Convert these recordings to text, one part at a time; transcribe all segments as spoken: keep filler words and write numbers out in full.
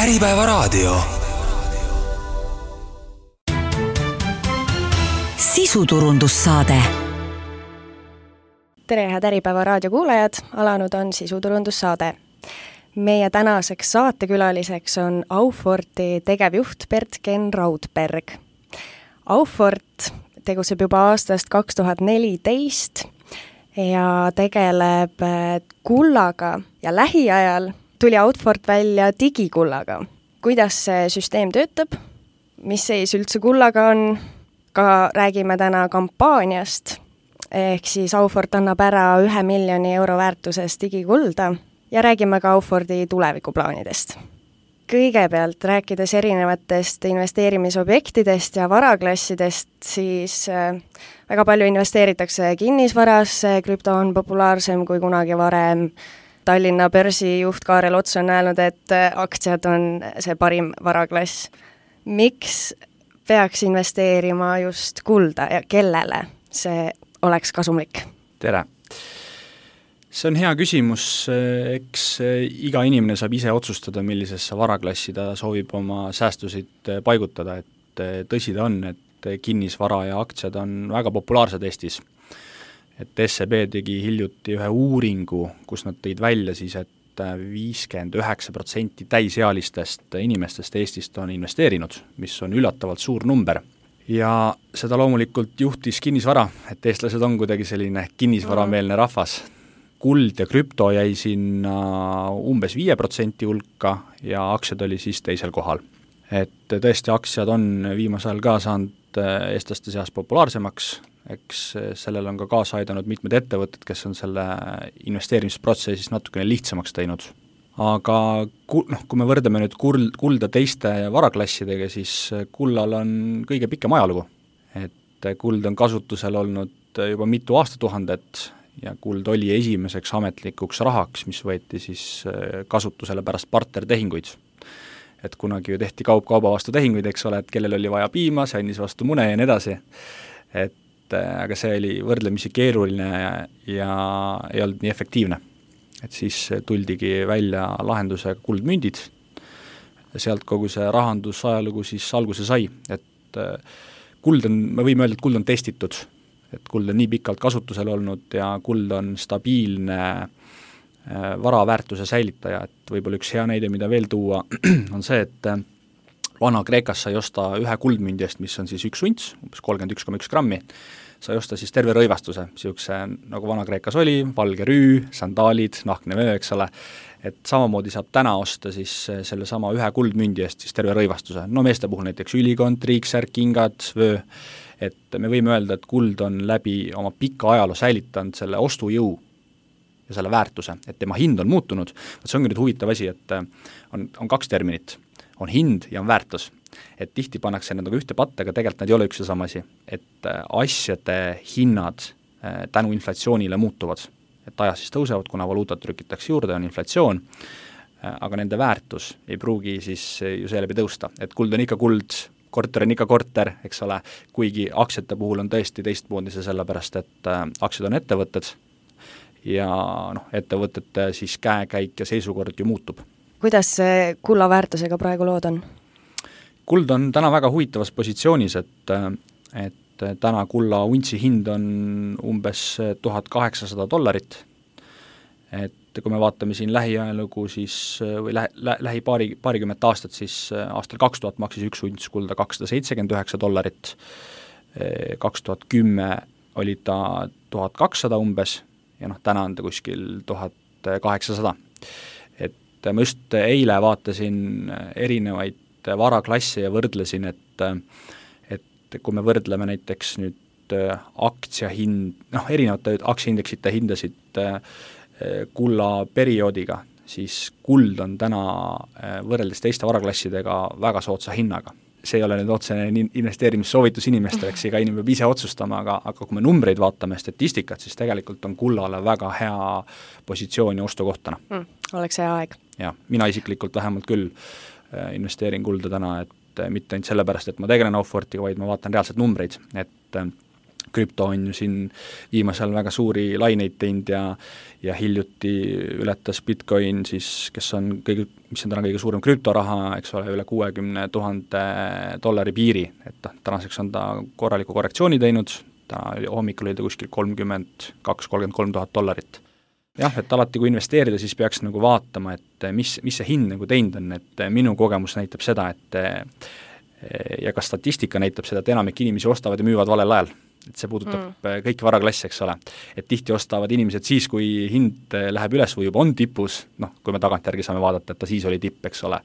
Äripäevaraadio. Sisuturundussaade. Tere, head Äripäevaraadio kuulajad, alanud on sisuturundussaade. Meie tänaseks saatekülaliseks on Auforti tegevjuht Bert-Ken Raudberg. Aufort tegutseb juba aastast kaks tuhat neliteist ja tegeleb kullaga ja lähiajal tuli Aufort välja digikullaga. Kuidas see süsteem töötab, mis seis üldse kullaga on, ka räägime täna kampaaniast, ehk siis Aufort annab ära ühe miljoni euro väärtuses digikulda ja räägime ka Auforti tulevikuplaanidest. Kõigepealt rääkides erinevatest investeerimisobjektidest ja varaklassidest, siis väga palju investeeritakse kinnisvarasse, krüpto on populaarsem kui kunagi varem. Tallinna börsijuht Kaarel Ots on öelnud, et aktsiad on see parim varaklass. Miks peaks investeerima just kulda ja kellele see oleks kasumlik? Tere! See on hea küsimus, eks iga inimene saab ise otsustada, millisesse varaklassi ta soovib oma säästusid paigutada, et tõsi ta on, et kinnisvara ja aktsiad on väga populaarsed Eestis. Et S E B tegi hiljuti ühe uuringu, kus nad tõid välja siis, et viiskümmend üheksa protsenti täisealistest inimestest Eestist on investeerinud, mis on üllatavalt suur number. Ja seda loomulikult juhtis kinnisvara, et eestlased on kuidagi selline kinnisvarameelne rahvas. Kuld ja krüpto jäi sinna umbes viie protsendi hulka ja aktsiad oli siis teisel kohal. Et tõesti aktsiad on viimasel ka saanud eestlaste seas populaarsemaks, eks sellel on ka kaasa aidanud mitmed ettevõtted, kes on selle investeerimisprotsessis natukene lihtsamaks teinud. Aga noh, kui me võrdame nüüd kulda teiste varaklassidega, siis kullal on kõige pikem ajalugu. Et kuld on kasutusel olnud juba mitu aastatuhandet ja kuld oli esimeseks ametlikuks rahaks, mis võeti siis kasutusele pärast bartertehinguid. Et kunagi ju tehti kaup kauba vastu tehinguid, eks ole, et kellel oli vaja piima, see andis vastu mune ja nii edasi. Et aga see oli võrdlemisi keeruline ja, ja ei olnud nii efektiivne. Et siis tuldigi välja lahendusega kuldmündid. Sealt kogu see rahandusajalugu siis alguse sai. Et kuld on, me võime öelda, et kuld on testitud. Et kuld on nii pikalt kasutusel olnud ja kuld on stabiilne varaväärtuse säilitaja. Et võib-olla üks hea näide, mida veel tuua, on see, et vana Kreekas sai osta ühe kuldmündi eest, mis on siis üks unts, umbes kolmkümmend üks koma üks grammi, sai osta siis terve rõivastuse, siukse, nagu vana Kreekas oli, valge rüü, sandaalid, nahkne vöö, eks ole, et samamoodi saab täna osta siis selle sama ühe kuldmündi eest siis terve rõivastuse. No meeste puhul näiteks ülikond, triiksärk, kingad, vöö, et me võime öelda, et kuld on läbi oma pika ajaloo säilitanud selle ostujõu ja selle väärtuse, et tema hind on muutunud. See ongi nüüd huvitav asi, et on, on kaks terminit. On hind ja on väärtus. Et tihti pannakse need nagu ühte patta, aga tegelikult nad ei ole üks ja sama asi. Et asjade hinnad tänu inflatsioonile muutuvad. Et ajas siis tõusevad, kuna valuutat trükitakse juurde, on inflatsioon, aga nende väärtus ei pruugi siis ju seeläbi tõusta. Et kuld on ikka kuld, korter on ikka korter, eks ole, kuigi aktsiate puhul on tõesti teistmoodi see sellepärast, et aktsiad on ettevõtted ja noh, ettevõtete siis käekäik ja seisukord ju muutub. Kuidas see kulla väärtusega praegu lood on? Kuld on täna väga huvitavas positsioonis, et, et täna kulla untsi hind on umbes tuhat kaheksasada dollarit. Et kui me vaatame siin lähiajalugu, siis, või lähi, lähi paari, paarikümmet aastat, siis aastal kaks tuhat maksis üks unts kulda kakssada seitsekümmend üheksa dollarit, kaks tuhat kümme oli ta tuhat kakssada umbes ja noh, täna on ta kuskil tuhat kaheksasada. Ma just eile vaatasin erinevaid varaklasse ja võrdlesin, et, et kui me võrdleme näiteks nüüd aktsiahind, noh, erinevate aktsiaindeksite hindasid kulla perioodiga, siis kuld on täna võrreldes teiste varaklassidega väga soodsa hinnaga. See ei ole nüüd otsene investeerimissoovitus inimesteks, ega inimene peab ise otsustama, aga, aga kui me numbreid vaatame statistikat, siis tegelikult on kullale väga hea positsioon ja ostukohtana. Mm, oleks hea aeg. Ja, mina isiklikult vähemalt küll investeerin kulda täna, et mitte ainult sellepärast, et ma tegelen Aufortiga, vaid ma vaatan reaalselt numbreid, et krüpto on ju siin viimasel väga suuri laineid teinud ja ja hiljuti ületas Bitcoin siis, kes on kõige, mis on täna kõige suurem krüptoraha, eks ole, üle kuuekümne tuhande dollari piiri, et tänaseks on ta korraliku korrektsiooni teinud, ta hommikul oli ta kuskil kolmkümmend kaks, kolmkümmend kolm tuhat dollarit. Jah, et alati kui investeerida, siis peaks nagu vaatama, et mis, mis see hind nagu teinud on, et minu kogemus näitab seda, et ja ka statistika näitab seda, et enamik inimesi ostavad ja müüvad valel ajal. Et see puudutab mm. kõiki varaklassi, eks ole. Et tihti ostavad inimesed siis, kui hind läheb üles või juba on tipus, noh, kui me tagantjärgi saame vaadata, et ta siis oli tipp, eks ole.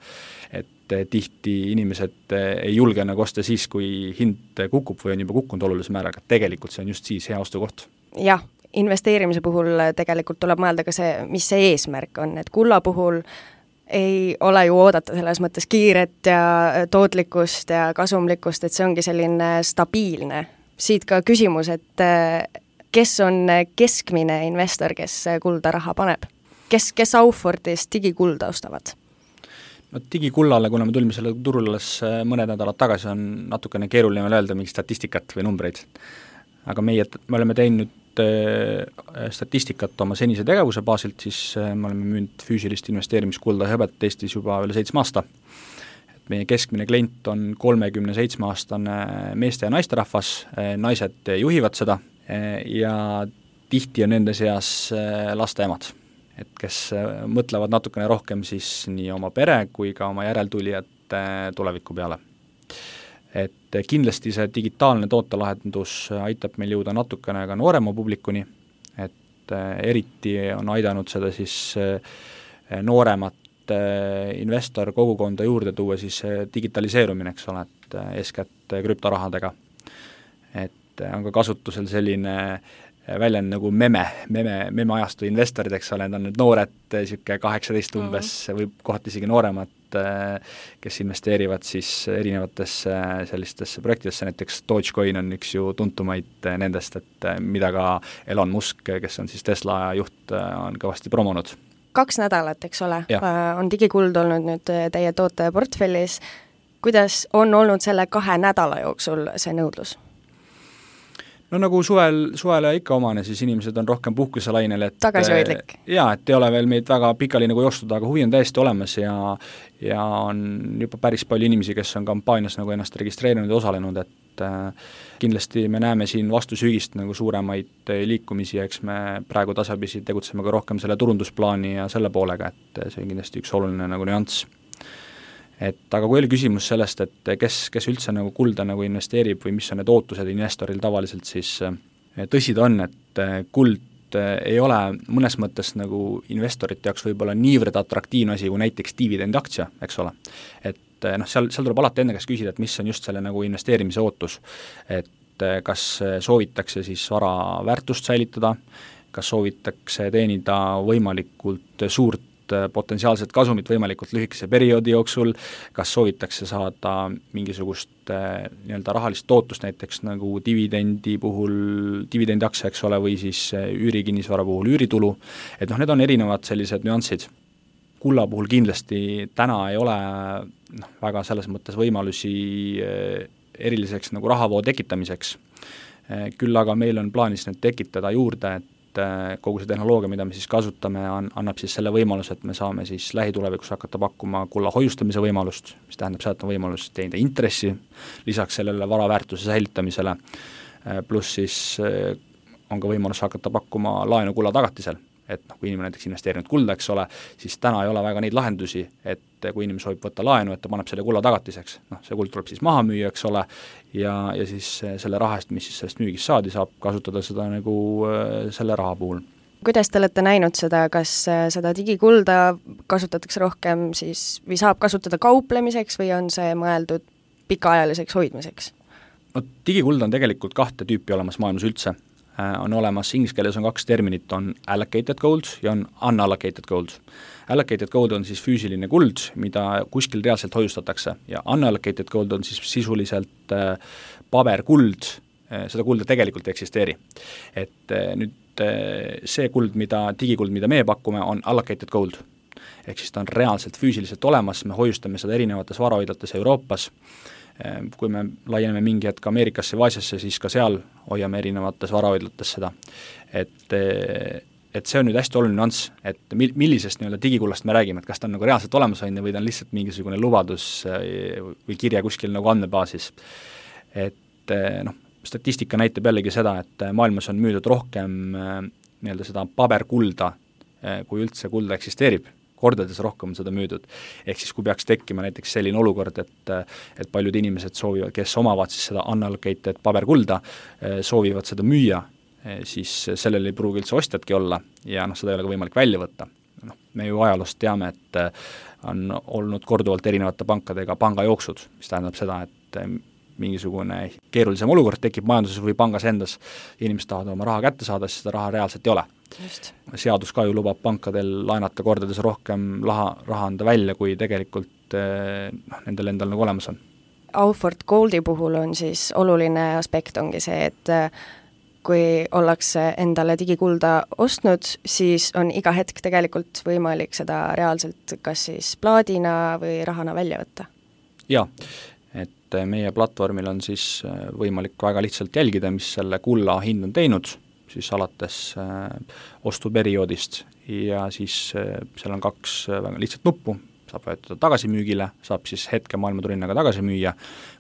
Et tihti inimesed ei julge nagu osta siis, kui hind kukub või on juba kukkunud olulise määraga, et tegelikult see on just siis hea ostukoht. Jah, investeerimise puhul tegelikult tuleb mõelda ka see, mis see eesmärk on, et kulla puhul ei ole ju oodata selles mõttes kiiret ja tootlikkust ja kasumlikkust, et see ongi selline stabiilne. Siit ka küsimus, et kes on keskmine investor, kes kulda raha paneb? Kes, kes Aufordis digikulda ostavad? No digikullale, kuna me tulime selle turule alles mõned nädalad tagasi, on natukene keeruline öelda mingi statistikat või numbreid. Aga meie, me oleme teinud statistikat oma senise tegevuse baasilt, siis me oleme müünud füüsilist investeerimiskulda ja hõbet Eestis juba üle seitsme aasta. Meie keskmine klient on kolmekümne seitsme aastane meeste ja naisterahvas, naised juhivad seda ja tihti on nende seas laste emad, et kes mõtlevad natukene rohkem siis nii oma pere kui ka oma järeltulijate tuleviku peale. Et kindlasti see digitaalne tootelahendus aitab meil jõuda natukene ka noorema publikuni, et eriti on aidanud seda siis nooremat investor kogukonda juurde tuua siis digitaliseerumine, eks ole, et eeskätt krüptorahadega. Et on ka kasutusel selline väljend nagu meme, meme, meme ajastu investorid, eks ole, need on nüüd noored, siuke kaheksateist umbes mm. või kohati isegi nooremad, kes investeerivad siis erinevatesse sellistesse projektidesse, näiteks Dogecoin on üks ju tuntumaid nendest, et mida ka Elon Musk, kes on siis Tesla juht, on kõvasti promonud. Kaks nädalat, eks ole, ja. on digikuld olnud nüüd teie toote portfellis. Kuidas on olnud selle kahe nädala jooksul see nõudlus? No nagu suvel, suvele ikka omane, siis inimesed on rohkem puhkuselainel, et tagasihoidlik. Jaa, et ei ole veel meid väga pikali nagu joostud, aga huvi on täiesti olemas ja, ja on juba päris palju inimesi, kes on kampaanias nagu ennast registreerinud ja osalenud, et kindlasti me näeme siin vastu sügist nagu suuremaid liikumisi, eks me praegu tasapisi tegutseme ka rohkem selle turundusplaani ja selle poolega, et see on kindlasti üks oluline nagu nüanss. Et aga kui oli küsimus sellest, et kes, kes üldse nagu kulda nagu investeerib või mis on need ootused investoril tavaliselt, siis tõsi ta on, et kuld ei ole mõnes mõttes nagu investorite jaoks võib-olla niivõrd atraktiivne asi kui näiteks dividendaktsia, eks ole. Et noh, seal, seal tuleb alati enne käest küsida, et mis on just selle nagu investeerimise ootus, et kas soovitakse siis vara väärtust säilitada, kas soovitakse teenida võimalikult suurt potentsiaalset kasumit võimalikult lühikese perioodi jooksul, kas soovitakse saada mingisugust nii-öelda rahalist tootust näiteks nagu dividendi puhul, dividendaktsia, eks ole, või siis üürikinnisvara puhul üüritulu, et noh, need on erinevad sellised nüansid. Kulla puhul kindlasti täna ei ole noh, väga selles mõttes võimalusi eriliseks nagu rahavoo tekitamiseks. Küll aga meil on plaanis need tekitada juurde, et kogu see tehnoloogia, mida me siis kasutame, on, annab siis selle võimaluse, et me saame siis lähitulevikus hakata pakkuma kulla hoiustamise võimalust, mis tähendab seda, et on võimalus teenida intressi, lisaks sellele varaväärtuse säilitamisele, pluss siis on ka võimalus hakata pakkuma laenu kulla tagatisel. Et noh, kui inimene näiteks investeerinud kulda, eks ole, siis täna ei ole väga neid lahendusi, et kui inimene soovib võtta laenu, et ta paneb selle kulla tagatiseks, noh, see kuld tuleb siis maha müüa, eks ole, ja, ja siis selle raha eest, mis siis sellest müügist saadi, saab kasutada seda nagu selle raha puhul. Kuidas te olete näinud seda, kas seda digikulda kasutatakse rohkem siis, või saab kasutada kauplemiseks või on see mõeldud pikaajaliseks hoidmiseks? No digikuld on tegelikult kahte tüüpi olemas maailmas üldse. On olemas, inglise keeles on kaks terminit, on allocated gold ja on unallocated gold. Allocated gold on siis füüsiline kuld, mida kuskil reaalselt hoiustatakse ja unallocated gold on siis sisuliselt paberkuld, seda kulda tegelikult ei eksisteeri. Et nüüd see kuld, mida, digikuld, mida meie pakume, on allocated gold. ehk siis ta on reaalselt füüsiliselt olemas, me hoiustame seda erinevates varahoidlates Euroopas, kui me laieneme mingi hetk Ameerikasse või Aasiasse, siis ka seal hoiame erinevates varahoidlates seda. Et, et see on nüüd hästi oluline nüanss, et millisest nii-öelda digikullast me räägime, et kas ta on nagu reaalselt olemas on või ta on lihtsalt mingisugune lubadus või kirja kuskil nagu andmebaasis. Et noh, statistika näitab jällegi seda, et maailmas on müüdud rohkem nii-öelda seda paberkulda, kui üldse kulda eksisteerib, kordades rohkem on seda müüdud. Ehk siis kui peaks tekkima näiteks selline olukord, et, et paljud inimesed soovivad, kes omavad siis seda unallocated paberkulda, soovivad seda müüa, siis sellel ei pruugi üldse ostjatki olla ja noh, seda ei ole ka võimalik välja võtta. Noh, me ju ajaloost teame, et on olnud korduvalt erinevate pankadega pangajooksud, mis tähendab seda, et mingisugune keerulisem olukord tekib majanduses või pangas endas, inimesed tahavad oma raha kätte saada, siis seda raha reaalselt ei ole. Just. Seadus ka ju lubab pankadel laenata kordades rohkem raha, raha anda välja, kui tegelikult noh, nendel endal nagu olemas on. Aufort Goldi puhul on siis oluline aspekt ongi see, et kui ollakse endale digikulda ostnud, siis on iga hetk tegelikult võimalik seda reaalselt kas siis plaadina või rahana välja võtta. Jaa, et meie platvormil on siis võimalik väga lihtsalt jälgida, mis selle kulla hind on teinud, siis alates äh, ostuperioodist ja siis äh, seal on kaks väga lihtsat nuppu, saab vajutada tagasimüügile, saab siis hetke maailmaturinnaga tagasi müüa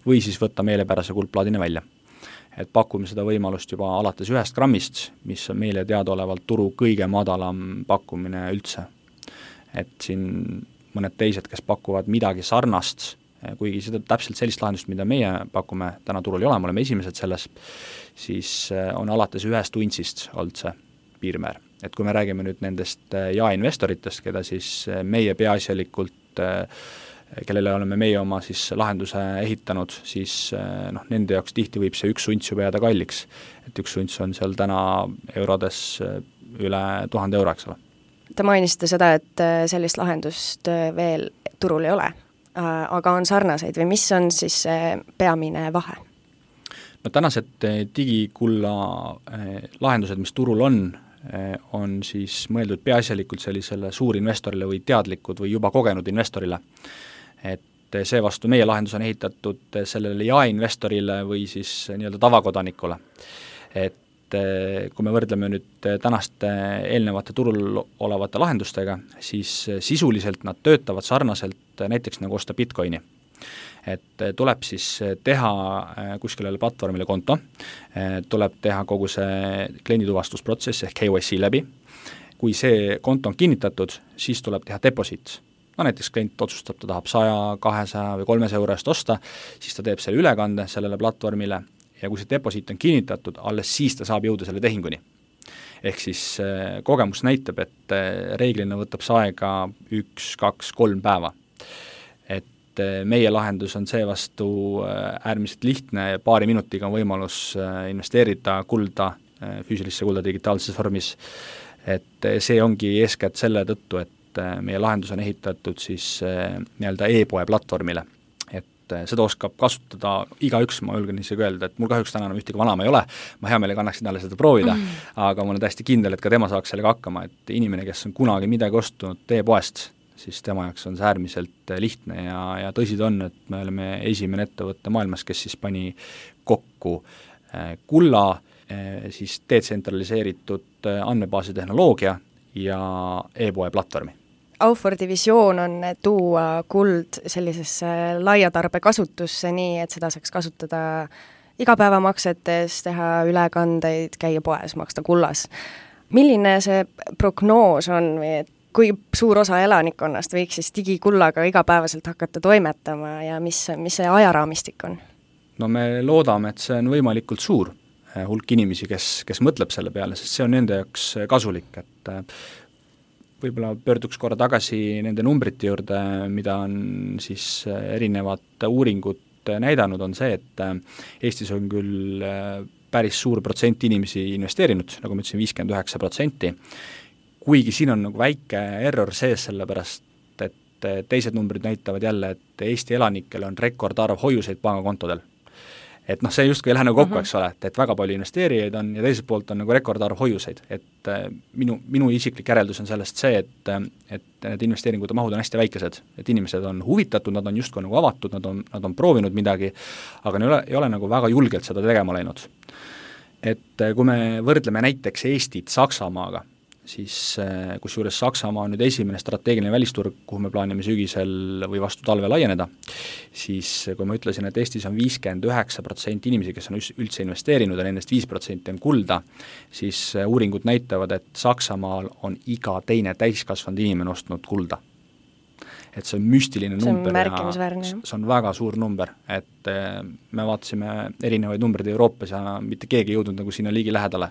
või siis võtta meelepärase kuldplaadina välja. Et pakume seda võimalust juba alates ühest grammist, mis on meile teadaolevalt turu kõige madalam pakkumine üldse. Et siin mõned teised, kes pakuvad midagi sarnast, kuigi seda täpselt sellist lahendust, mida meie pakume, täna turul ei ole, me oleme esimesed selles, siis on alates ühest untsist olnud see piirmäär. Et kui me räägime nüüd nendest jaeinvestoritest, keda siis meie peaasjalikult, kellele oleme meie oma siis lahenduse ehitanud, siis noh, nende jaoks tihti võib see üks unts juba jääda kalliks. Et üks unts on seal täna eurodes üle tuhande euro, eks ole. Te mainisite seda, et sellist lahendust veel turul ei ole, aga on sarnaseid või mis on siis see peamine vahe? No tänased digikulla lahendused, mis turul on, on siis mõeldud peaasjalikult sellisele suurinvestorile või teadlikud või juba kogenud investorile. Et see vastu meie lahendus on ehitatud sellele jaeinvestorile või siis nii-öelda tavakodanikule. Et kui me võrdleme nüüd tänaste eelnevate turul olevate lahendustega, siis sisuliselt nad töötavad sarnaselt näiteks nagu osta Bitcoini. Et tuleb siis teha kuskilele platvormile konto, tuleb teha kogu see kliendituvastusprotsess ehk K Y C läbi. Kui see konto on kinnitatud, siis tuleb teha deposit. No näiteks klient otsustab, ta tahab saja, kahesaja või kolmesaja euro eest osta, siis ta teeb selle ülekande sellele platvormile ja kui see deposit on kinnitatud, alles siis ta saab jõuda selle tehinguni. Ehk siis kogemus näitab, et reeglina võtab see aega üks, kaks, kolm päeva. Et meie lahendus on see vastu äärmiselt lihtne, paari minutiga on võimalus investeerida kulda, füüsilisse kulda digitaalses vormis. Et see ongi eeskätt selle tõttu, et meie lahendus on ehitatud siis nii-öelda e-poe platvormile. Seda oskab kasutada igaüks, ma julgen isegi öelda, et mul kahjuks täna enam ühtegi vanama ei ole, ma hea meelega annaksin talle seda proovida, mm. aga ma olen täiesti kindel, et ka tema saaks sellega hakkama, et inimene, kes on kunagi midagi ostunud e-poest, siis tema jaoks on see äärmiselt lihtne ja, ja tõsi ta on, et me oleme esimene ettevõtte maailmas, kes siis pani kokku kulla, siis detsentraliseeritud andmebaasi tehnoloogia ja e-poe platvormi. Auforti visioon on tuua kuld sellisesse laiatarbe kasutusse nii, et seda saaks kasutada igapäevamaksetes, teha ülekandeid, käia poes, maksta kullas. Milline see prognoos on või et kui suur osa elanikkonnast võiks siis digikullaga igapäevaselt hakata toimetama ja mis, mis see ajaraamistik on? No me loodame, et see on võimalikult suur hulk inimesi, kes, kes mõtleb selle peale, sest see on nende jaoks kasulik, et võib-olla pöörduks korra tagasi nende numbrite juurde, mida on siis erinevad uuringud näidanud, on see, et Eestis on küll päris suur protsent inimesi investeerinud, nagu ma ütlesin, viiskümmend üheksa protsenti, kuigi siin on nagu väike error sees, sellepärast et teised numbrid näitavad jälle, et Eesti elanikel on rekordarv hoiuseid pangakontodel. et noh, see justkui ei lähe nagu kokku, Mhm. eks ole, et, et väga palju investeerijaid on ja teiselt poolt on nagu rekordarv hoiuseid, et äh, minu, minu isiklik järeldus on sellest see, et äh, et need investeeringute mahud on hästi väikesed, et inimesed on huvitatud, nad on justkui nagu avatud, nad on, nad on proovinud midagi, aga ei ole, ei ole nagu väga julgelt seda tegema läinud. Et äh, kui me võrdleme näiteks Eestit Saksamaaga, siis kusjuures Saksamaa on nüüd esimene strateegiline välisturg, kuhu me plaanime sügisel või vastu talve laieneda, siis kui ma ütlesin, et Eestis on viiskümmend üheksa protsenti inimesi, kes on üldse investeerinud ja nendest viis protsenti on kulda, siis uuringud näitavad, et Saksamaal on iga teine täiskasvanud inimene ostnud kulda. Et see on müstiline see on number märkimisväärne, ja see on väga suur number, et me vaatasime erinevaid numbreid Euroopas ja mitte keegi ei jõudnud nagu sinna liigi lähedale.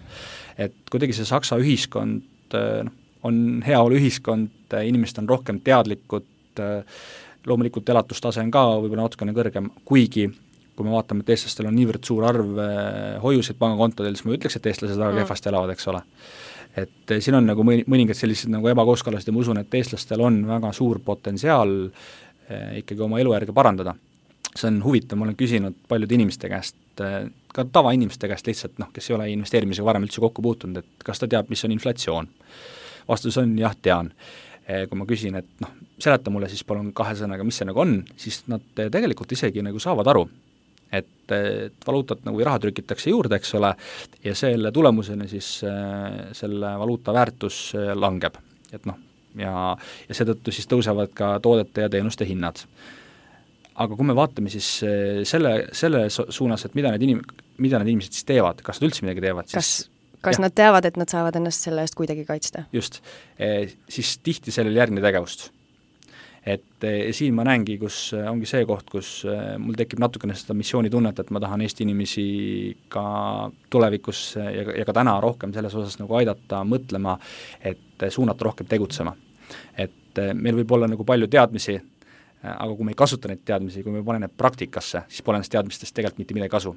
Et kuidagi see Saksa ühiskond noh, on heaolu ühiskond, inimesed on rohkem teadlikud, loomulikult elatustase on ka võib-olla natukene kõrgem, kuigi kui me vaatame, et eestlastel on niivõrd suur arv hoiuseid pangakontodel, siis ma ütleks, et eestlased väga kehvasti elavad, eks ole. Et siin on nagu mõningad sellised nagu ebakooskõlased ja ma usun, et eestlastel on väga suur potentsiaal ikkagi oma elujärge parandada. See on huvitav, ma olen küsinud paljude inimeste käest, ka tavainimeste käest lihtsalt, noh, kes ei ole investeerimisega varem üldse kokku puutunud, et kas ta teab, mis on inflatsioon. Vastus on jah, tean. Kui ma küsin, et noh, seleta mulle siis palun kahe sõnaga, mis see nagu on, siis nad tegelikult isegi nagu saavad aru, et, et valuutat nagu raha trükitakse juurde, eks ole, ja selle tulemusena siis selle valuuta väärtus langeb. Et noh, ja, ja seetõttu siis tõusevad ka toodete ja teenuste hinnad. Aga kui me vaatame siis selle, selle suunas, et mida need, inim, mida need inimesed siis teevad, kas nad üldse midagi teevad, siis kas, kas nad teavad, et nad saavad ennast selle eest kuidagi kaitsta? Just, e, siis tihti sellel järgne tegevust. Et e, siin ma näengi, kus ongi see koht, kus e, mul tekib natukene seda missiooni tunnet, et ma tahan Eesti inimesi ka tulevikus ja, ja ka täna rohkem selles osas nagu aidata mõtlema, et suunata rohkem tegutsema. Et e, meil võib olla nagu palju teadmisi, aga kui me ei kasuta neid teadmisi, kui me ei pane need praktikasse, siis pole nendest teadmistest tegelikult mitte midagi kasu.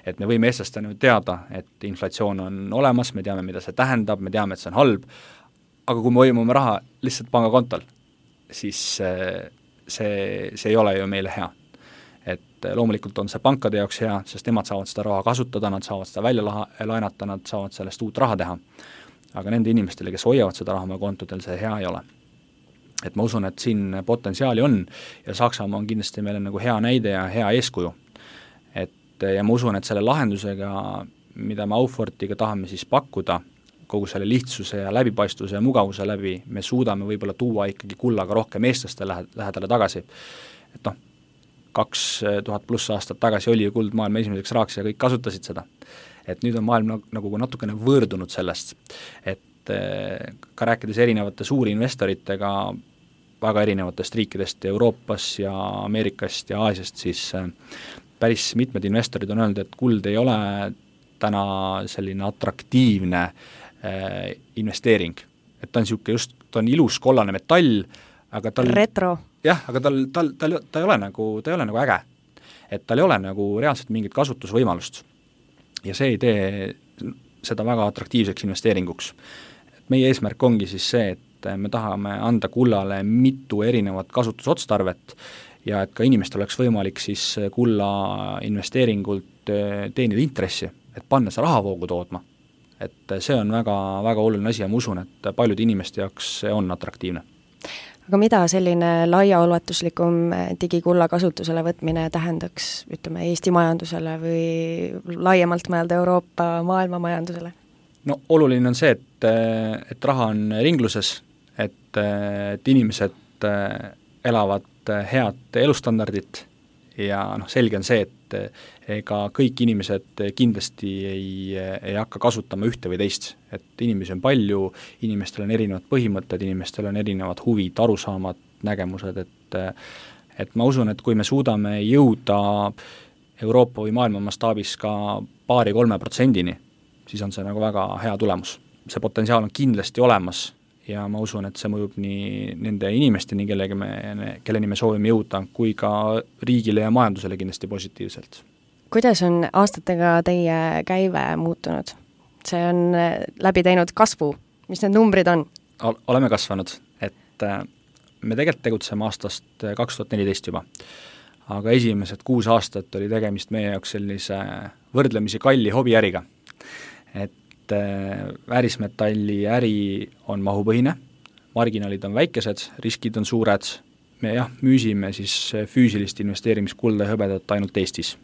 Et me võime eestlastena teada, et inflatsioon on olemas, me teame, mida see tähendab, me teame, et see on halb, aga kui me hoiame oma raha lihtsalt pangakontol, siis see, see ei ole ju meile hea. Et loomulikult on see pankade jaoks hea, sest nemad saavad seda raha kasutada, nad saavad seda välja laha, laenata, nad saavad sellest uut raha teha. Aga nende inimestele, kes hoiavad seda raha oma kontodel, see hea ei ole. Et ma usun, et siin potentsiaali on ja Saksamaa on kindlasti meile nagu hea näide ja hea eeskuju. Et, ja ma usun, et selle lahendusega, mida me Aufortiga tahame siis pakkuda, kogu selle lihtsuse ja läbipaistvuse ja mugavuse läbi, me suudame võib-olla tuua ikkagi kullaga rohkem eestlaste lähedale tagasi. Et noh, kaks tuhat pluss aastat tagasi oli ju kuld maailma esimeseks raaks ja kõik kasutasid seda. Et nüüd on maailm nagu natukene võõrdunud sellest, et ka rääkides erinevate suuri investoritega väga erinevatest riikidest Euroopas ja Ameerikast ja Aasiast, siis päris mitmed investorid on öelnud, et kuld ei ole täna selline atraktiivne äh, investeering. Et ta on niisugune just, ta on ilus kollane metall, aga tal retro. Jah, aga tal, tal, tal, ta ei ole nagu, ta ei ole nagu äge. Et tal ei ole nagu reaalselt mingit kasutusvõimalust. Ja see ei tee seda väga atraktiivseks investeeringuks. Meie eesmärk ongi siis see, et me tahame anda kullale mitu erinevat kasutusotstarvet ja et ka inimestel oleks võimalik siis kulla investeeringult teenida intressi, et panna see rahavoogu toodma. Et see on väga, väga oluline asi ja ma usun, et paljude inimeste jaoks see on atraktiivne. Aga mida selline laiaulatuslikum digikulla kasutusele võtmine tähendaks, ütleme, Eesti majandusele või laiemalt mõelda Euroopa maailma majandusele? No oluline on see, et, et raha on ringluses, et, et inimesed elavad head elustandardit ja noh, selge on see, et ega kõik inimesed kindlasti ei, ei hakka kasutama ühte või teist, et inimesi on palju, inimestel on erinevad põhimõtted, inimestel on erinevad huvid, arusaamad, nägemused, et, et ma usun, et kui me suudame jõuda Euroopa või maailma mastaabis ka paari-kolme protsendini, siis on see nagu väga hea tulemus. See potentsiaal on kindlasti olemas ja ma usun, et see mõjub nii nende inimesteni, kellega me, kelleni me soovime jõuda, kui ka riigile ja majandusele kindlasti positiivselt. Kuidas on aastatega teie käive muutunud? See on läbi teinud kasvu. Mis need numbrid on? Oleme kasvanud, et me tegelikult tegutseme aastast kaks tuhat neliteist juba. aga esimesed kuus aastat oli tegemist meie jaoks sellise võrdlemisi kalli hobiäriga. Et väärismetalli äri on mahupõhine, marginaalid on väikesed, riskid on suured, me jah, müüsime siis füüsilist investeerimiskulda ja hõbedat ainult Eestis.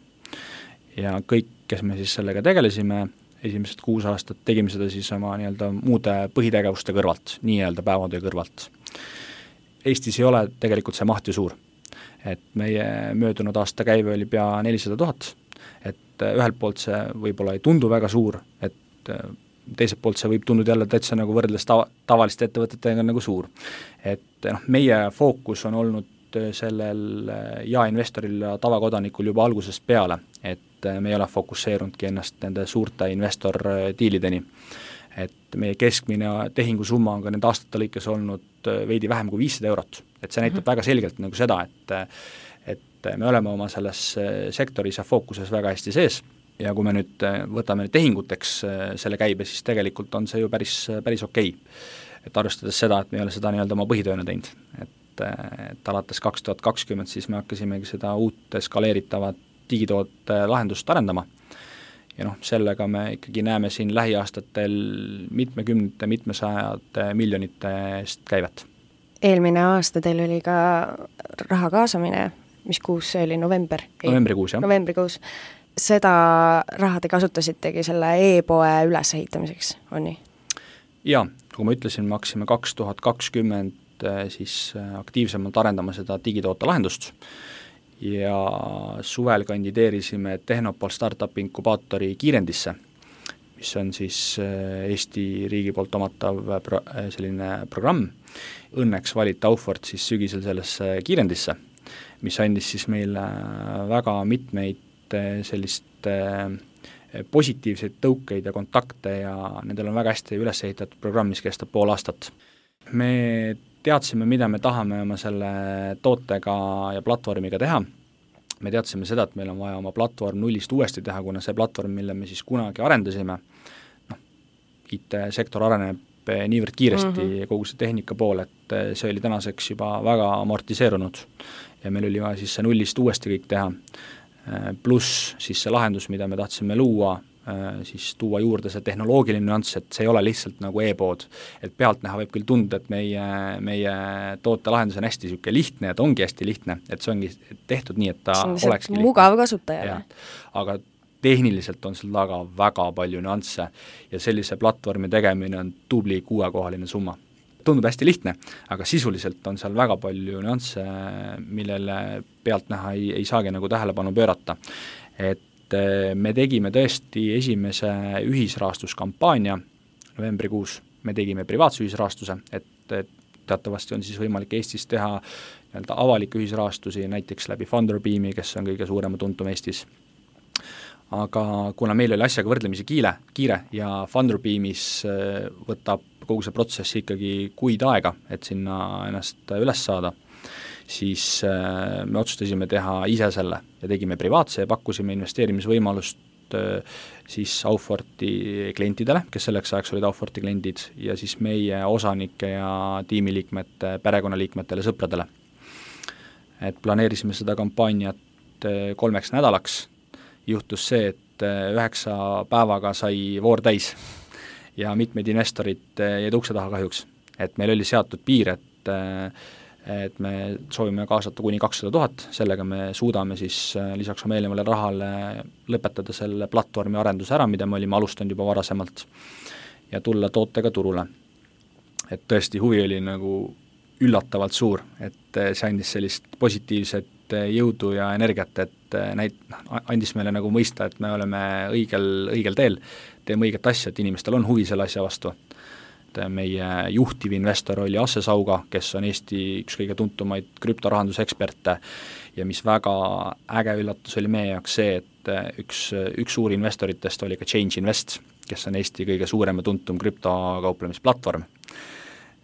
Ja kõik, kes me siis sellega tegelesime, esimesed kuus aastat tegime seda siis oma nii-öelda muude põhitegevuste kõrvalt, nii-öelda päevatöö kõrvalt. Eestis ei ole tegelikult see maht ju suur. Et meie möödunud aasta käive oli pea nelisada tuhat, et ühelt poolt see võib-olla ei tundu väga suur, et teiselt poolt see võib tunduda jälle täitsa nagu võrreldes tava, tavaliste ettevõtetega nagu suur. Et noh, meie fookus on olnud sellel jaeinvestoril ja tavakodanikul juba algusest peale, et me ei ole fokusseerunudki ennast nende suurte investor-diilideni. Et meie keskmine tehingusumma on ka nende aastate lõikes olnud veidi vähem kui viissada eurot. Et see näitab mm-hmm. väga selgelt nagu seda, et, et me oleme oma selles sektoris ja fookuses väga hästi sees ja kui me nüüd võtame tehinguteks selle käibe, siis tegelikult on see ju päris, päris okei. Et arvestades seda, et me ei ole seda nii-öelda oma põhitööna teinud. Et, et alates kaks tuhat kakskümmend siis me hakkasimegi seda uut skaleeritavat digitoote lahendust arendama. Ja noh, sellega me ikkagi näeme siin lähiaastatel mitmekümnete, mitmesajate miljonite eest käivet. Eelmine aasta teil oli ka raha kaasamine, mis kuus see oli, november? Novembrikuus, jah. Novembrikuus. Seda raha te kasutasitegi selle e-poe ülesehitamiseks, on nii? Jaa, kui ma ütlesin, me hakkasime kaks tuhat kakskümmend siis aktiivsemalt arendama seda digitoote lahendust ja suvel kandideerisime Tehnopol startup inkubaatori kiirendisse, mis on siis Eesti riigi poolt omatav pro- selline programm. Õnneks valiti Aufort siis sügisel sellesse kiirendisse, mis andis siis meile väga mitmeid sellist positiivseid tõukeid ja kontakte ja nendel on väga hästi üles ehitatud programm, mis kestab pool aastat. Me teadsime, mida me tahame oma selle tootega ja platvormiga teha. Me teadsime seda, et meil on vaja oma platvorm nullist uuesti teha, kuna see platvorm, mille me siis kunagi arendasime, noh, I T-sektor areneb niivõrd kiiresti mm-hmm. kogu see tehnika pool, et see oli tänaseks juba väga amortiseerunud ja meil oli vaja siis see nullist uuesti kõik teha. Pluss siis see lahendus, mida me tahtsime luua, siis tuua juurde see tehnoloogiline nüanss, et see ei ole lihtsalt nagu e-pood, et pealtnäha võib küll tunda, et meie, meie toote lahendus on hästi siuke lihtne ja ta ongi hästi lihtne, et see ongi tehtud nii, et ta olekski mugav kasutajale. Aga tehniliselt on seal taga väga palju nüansse ja sellise platvormi tegemine on tubli kuuekohaline summa. Tundub hästi lihtne, aga sisuliselt on seal väga palju nüansse, millele pealtnäha ei, ei saagi nagu tähelepanu pöörata. Et me tegime tõesti esimese ühisrahastuskampaania novembrikuus, me tegime privaatse ühisrahastuse, et, et teatavasti on siis võimalik Eestis teha nii-öelda avalikke ühisrahastusi, näiteks läbi Funderbeami, kes on kõige suurema tuntum Eestis. Aga kuna meil oli asjaga võrdlemisi kiire, kiire ja Funderbeamis võtab kogu see protsess ikkagi kuid aega, et sinna ennast üles saada, siis me otsustasime teha ise selle ja tegime privaatse ja pakkusime investeerimisvõimalust siis Auforti klientidele, kes selleks ajaks olid Auforti kliendid ja siis meie osanike ja tiimiliikmete, perekonnaliikmetele, sõpradele. Et planeerisime seda kampaaniat kolmeks nädalaks, juhtus see, et üheksa päevaga sai voor täis ja mitmed investorid jäid ukse taha kahjuks. Et meil oli seatud piir, et, et me soovime kaasata kuni kakssada tuhat, sellega me suudame siis lisaks oma eelnevale rahale lõpetada selle platvormi arenduse ära, mida me olime alustanud juba varasemalt ja tulla tootega turule. Et tõesti huvi oli nagu üllatavalt suur, et see andis sellist positiivset jõudu ja energiat, et näit, andis meile nagu mõista, et me oleme õigel, õigel teel, teeme õiget asja, et inimestel on huvi selle asja vastu. Meie juhtiv investor oli Asse Sauga, kes on Eesti üks kõige tuntumaid krüptorahanduseksperte ja mis väga äge üllatus oli meie jaoks see, et üks, üks suur investoritest oli ka Change Invest, kes on Eesti kõige suurem ja tuntum krüptokauplemisplatvorm.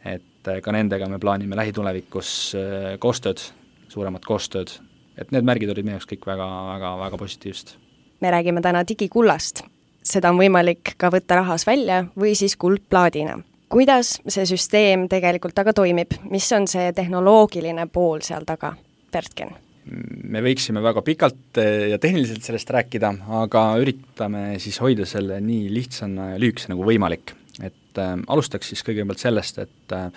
Et ka nendega me plaanime lähitulevikus koostööd, suuremat koostööd, et need märgid olid meie jaoks kõik väga, väga, väga positiivsed. Me räägime täna digikullast. Seda on võimalik ka võtta rahas välja või siis kuldplaadina. Kuidas see süsteem tegelikult taga toimib? Mis on see tehnoloogiline pool seal taga, Bertken? me võiksime väga pikalt ja tehniliselt sellest rääkida, aga üritame siis hoida selle nii lihtsana ja lühikese nagu võimalik. Et äh, alustaks siis kõigepealt sellest, et äh,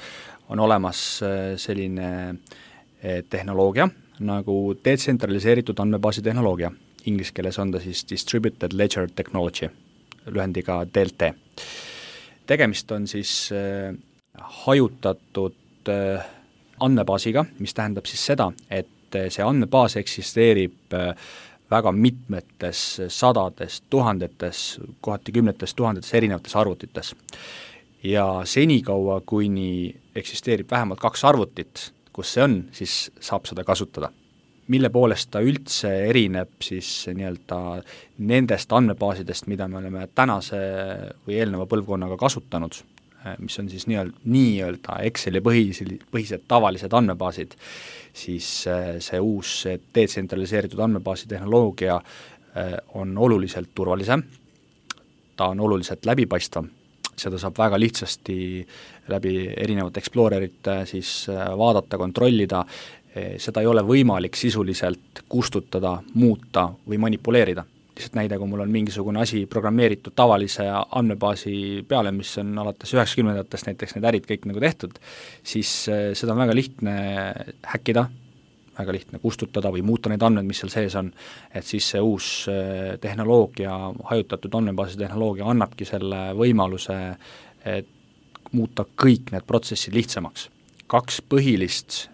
on olemas äh, selline äh, tehnoloogia nagu detsentraliseeritud andmebaasi tehnoloogia. Inglise keeles on ta siis Distributed Ledger Technology, lühendiga D L T. Tegemist on siis äh, hajutatud äh, andmebaasiga, mis tähendab siis seda, et see andmebaas eksisteerib väga mitmetes sadades, tuhandetes, kohati kümnetes tuhandetes erinevates arvutites. Ja senikaua, kuni eksisteerib vähemalt kaks arvutit, kus see on, siis saab seda kasutada. Mille poolest ta üldse erineb siis nii-öelda nendest andmebaasidest, mida me oleme tänase või eelneva põlvkonnaga kasutanud, mis on siis nii-öelda, nii-öelda Exceli põhised, põhised tavalised andmebaasid, siis see uus detsentraliseeritud andmebaasi tehnoloogia on oluliselt turvalisem, ta on oluliselt läbipaistvam, seda saab väga lihtsasti läbi erinevate Explorerite siis vaadata, kontrollida, seda ei ole võimalik sisuliselt kustutada, muuta või manipuleerida. Lihtsalt näide, kui mul on mingisugune asi programmeeritud tavalise andmebaasi peale, mis on alates üheksakümnendatest näiteks need ärid kõik nagu tehtud, siis seda on väga lihtne häkkida, väga lihtne kustutada või muuta neid andmed, mis seal sees on, et siis see uus tehnoloogia, hajutatud andmebaasi tehnoloogia annabki selle võimaluse muuta kõik need protsessid lihtsamaks. Kaks põhilist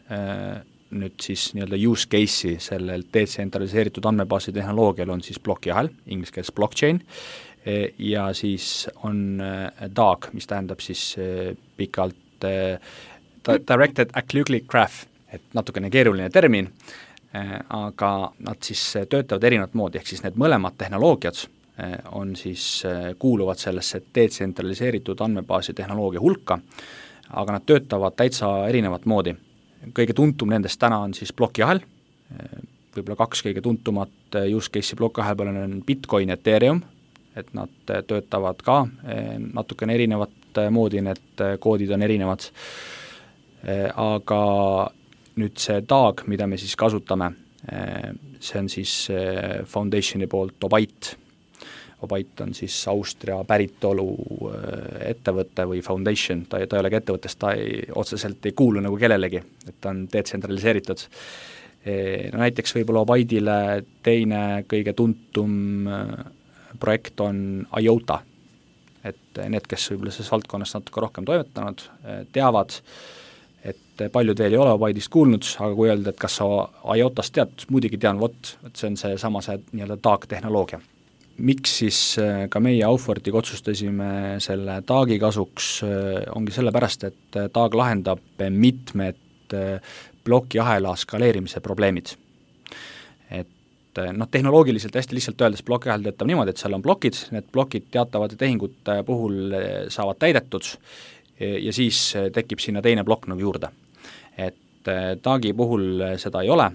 nüüd siis nii-öelda use case'i sellel detsentraliseeritud andmebaasi tehnoloogial on siis plokiahel, inglise keeles blockchain, ja siis on D A G, mis tähendab siis pikalt Directed Acyclic Graph, et natukene keeruline termin, aga nad siis töötavad erinevat moodi, ehk siis need mõlemad tehnoloogiad on siis, kuuluvad sellesse detsentraliseeritud andmebaasi tehnoloogia hulka, aga nad töötavad täitsa erinevat moodi. Kõige tuntum nendest täna on siis plokiahel, võib-olla kaks kõige tuntumat use case'i plokiahel peal on Bitcoin ja Ethereum, et nad töötavad ka natukene erinevat moodi, need koodid on erinevad, aga nüüd see D A G, mida me siis kasutame, see on siis Foundationi poolt Obait. Obait on siis Austria päritolu ettevõte või foundation, ta, ta ei olegi ettevõttest, ta ei, otseselt ei kuulu nagu kellelegi, et ta on detsentraliseeritud. No näiteks võib-olla Obaitile teine kõige tuntum projekt on IOTA, et need, kes võib-olla selles valdkonnas natuke rohkem toimetanud, teavad, et paljud veel ei ole Obaitist kuulnud, aga kui öelda, et kas sa IOTast tead, muidugi tean, vot, et see on see sama see nii-öelda D A G tehnoloogia. Miks siis ka meie Aufortiga otsustasime selle D A G-i kasuks, ongi sellepärast, et D A G lahendab mitmed plokiahela skaleerimise probleemid. Et noh, tehnoloogiliselt hästi lihtsalt öeldes plokiahel töötab niimoodi, et seal on plokid, need plokid teatavate tehingute puhul saavad täidetud ja siis tekib sinna teine plokk nagu juurde. Et D A G-i puhul seda ei ole,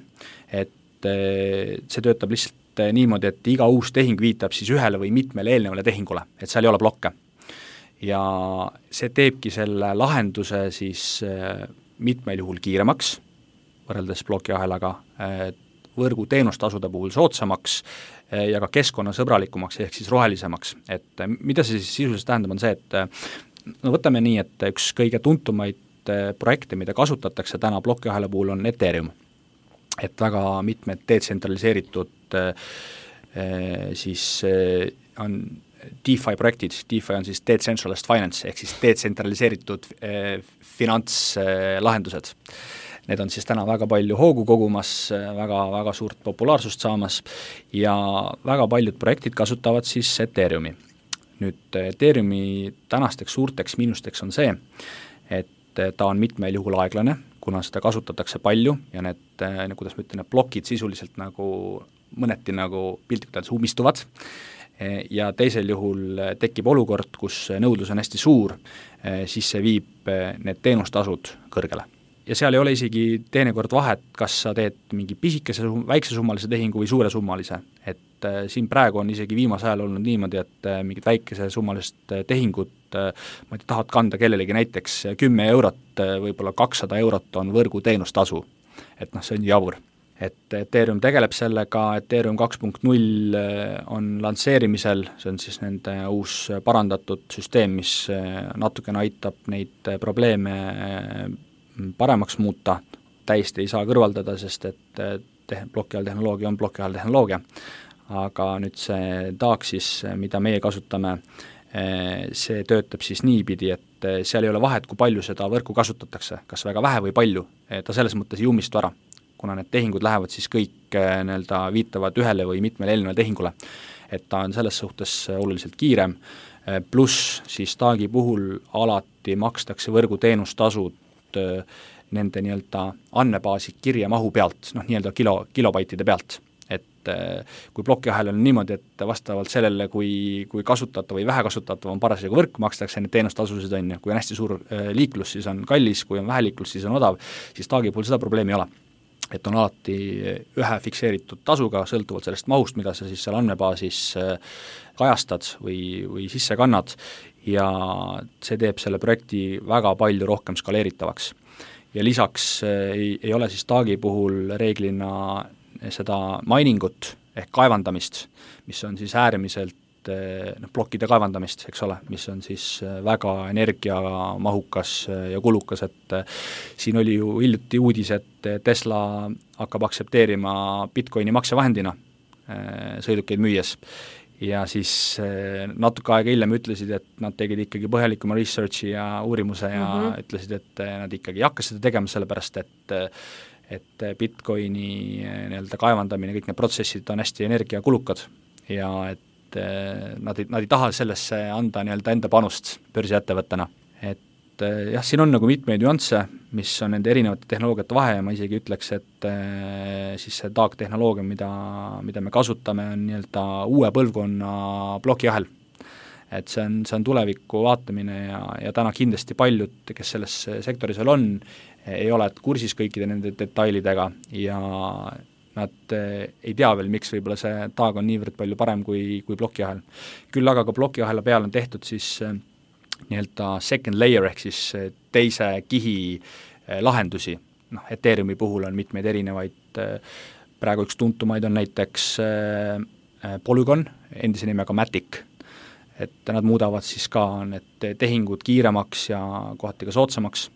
et see töötab lihtsalt niimoodi, et iga uus tehing viitab siis ühele või mitmele eelnevale tehingule, et seal ei ole blokke. Ja see teebki selle lahenduse siis mitmel juhul kiiremaks, võrreldes plokiahelaga, võrgu teenustasude puhul soodsamaks ja ka keskkonnasõbralikumaks ehk siis rohelisemaks. Et mida see siis sisuliselt tähendab, on see, et no võtame nii, et üks kõige tuntumaid projekte, mida kasutatakse täna plokiahela puhul on Ethereum. Et väga mitmed detsentraliseeritud siis on DeFi projektid, DeFi on siis Decentralized Finance ehk siis detsentraliseeritud finantslahendused. Need on siis täna väga palju hoogu kogumas, väga, väga suurt populaarsust saamas ja väga paljud projektid kasutavad siis Ethereumi. Nüüd Ethereumi tänasteks suurteks miinusteks on see, et ta on mitmel juhul aeglane, kuna seda kasutatakse palju ja need, kuidas ma ütlen, need plokid sisuliselt nagu mõneti nagu piltlikult öeldes ummistuvad ja teisel juhul tekib olukord, kus nõudlus on hästi suur, siis see viib need teenustasud kõrgele. Ja seal ei ole isegi teinekord vahet, kas sa teed mingi pisikese, väiksesummalise tehingu või suuresummalise, et siin praegu on isegi viimase ajal olnud niimoodi, et mingid väikesesummalist tehingut, ma ei tahad kanda kellelegi näiteks kümme eurot, võib-olla kakssada eurot on võrgu teenustasu, et noh, see on jabur. et Ethereum tegeleb sellega, Ethereum kaks punkt null on lansseerimisel, see on siis nende uus parandatud süsteem, mis natukene aitab neid probleeme paremaks muuta, täiesti ei saa kõrvaldada, sest et te- plokiahel tehnoloogia on plokiahel tehnoloogia, aga nüüd see taak siis, mida meie kasutame, see töötab siis niipidi, et seal ei ole vahet, kui palju seda võrku kasutatakse, kas väga vähe või palju, ta selles mõttes ei ummistu ära, kuna need tehingud lähevad siis kõik nii-öelda viitavad ühele või mitmele eelnevale tehingule. Et ta on selles suhtes oluliselt kiirem, pluss siis taagi puhul alati makstakse võrguteenustasud nende nii-öelda andmebaasi kirjamahu pealt, noh nii-öelda kilo, kilobaitide pealt. Et kui plokiahel on niimoodi, et vastavalt sellele, kui, kui kasutatav või vähe kasutatav on parasjagu võrk, makstakse need teenustasusid on, kui on hästi suur liiklus, siis on kallis, kui on vähe liiklus, siis on odav, siis taagi puhul seda probleemi ei ole. Et on alati ühe fikseeritud tasuga, sõltuvalt sellest mahust, mida sa siis seal andmebaasis kajastad või, või sisse kannad, ja see teeb selle projekti väga palju rohkem skaleeritavaks. Ja lisaks ei, ei ole siis taagi puhul reeglina seda miningut ehk kaevandamist, mis on siis äärmiselt noh, plokkide kaevandamist, eks ole, mis on siis väga energiamahukas ja kulukas, et siin oli ju hiljuti uudis, et Tesla hakkab aksepteerima Bitcoini maksevahendina sõidukeid müües. Ja siis natuke aega hiljem ütlesid, et nad tegid ikkagi põhjalikuma researchi ja uurimuse ja mm-hmm. ütlesid, et nad ikkagi ei hakka seda tegema, sellepärast et et Bitcoini nii-öelda kaevandamine, kõik need protsessid on hästi energiakulukad ja et nad ei, nad ei taha sellesse anda nii-öelda enda panust börsiettevõttena. Et jah, siin on nagu mitmeid nüansse, mis on nende erinevate tehnoloogiate vahe ja ma isegi ütleks, et siis see taag-tehnoloogia, mida, mida me kasutame, on nii-öelda uue põlvkonna plokiahel. Et see on, see on tuleviku vaatamine ja, ja täna kindlasti paljud, kes selles sektoris veel on, ei ole kursis kõikide nende detailidega ja nad ei tea veel, miks võib-olla see taag on niivõrd palju parem kui, kui plokiahel. Küll aga ka plokiahela peal on tehtud siis nii-öelda second layer ehk siis teise kihi lahendusi. Noh, Ethereumi puhul on mitmeid erinevaid, praegu üks tuntumaid on näiteks Polygon, endise nimega Matic, et nad muudavad siis ka need tehingud kiiremaks ja kohati ka soodsamaks,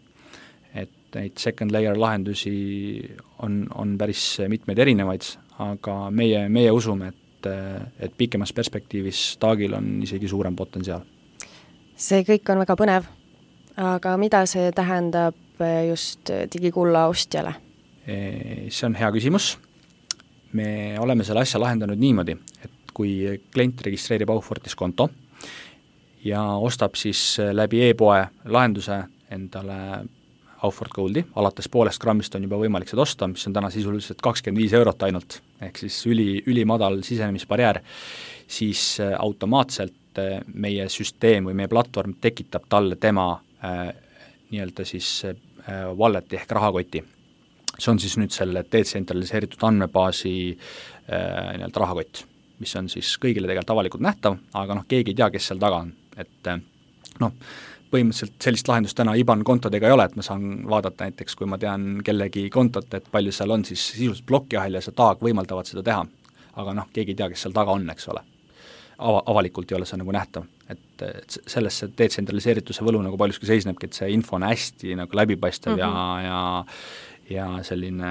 et neid second layer lahendusi on, on päris mitmeid erinevaid, aga meie, meie usume, et, et pikemas perspektiivis taagil on isegi suurem potentsiaal. See kõik on väga põnev, aga mida see tähendab just digikulla ostjale? See on hea küsimus. Me oleme selle asja lahendanud niimoodi, et kui klient registreerib Aufortis konto ja ostab siis läbi e-poe lahenduse endale Aufort Goldi, alates poolest grammist on juba võimalik seda osta, mis on täna sisuliselt kakskümmend viis eurot ainult, ehk siis üli, ülimadal sisenemisbarjäär, siis automaatselt meie süsteem või meie platvorm tekitab talle tema äh, nii-öelda siis äh, walleti ehk rahakoti. See on siis nüüd selle detsentraliseeritud andmebaasi äh, nii-öelda rahakott, mis on siis kõigile tegelikult avalikult nähtav, aga noh, keegi ei tea, kes seal taga on, et äh, noh, põhimõtteliselt sellist lahendust täna I B A N kontodega ei ole, et ma saan vaadata näiteks, kui ma tean kellegi kontot, et palju seal on, siis sisuliselt plokiahel ja see taag võimaldavad seda teha. Aga noh, keegi ei tea, kes seal taga on, eks ole. Ava, avalikult ei ole see nagu nähtav. Et, et selles see detsentraliseerituse võlu nagu paljuski seisnebki, et see info on hästi nagu läbipaistev mm-hmm. ja, ja, ja selline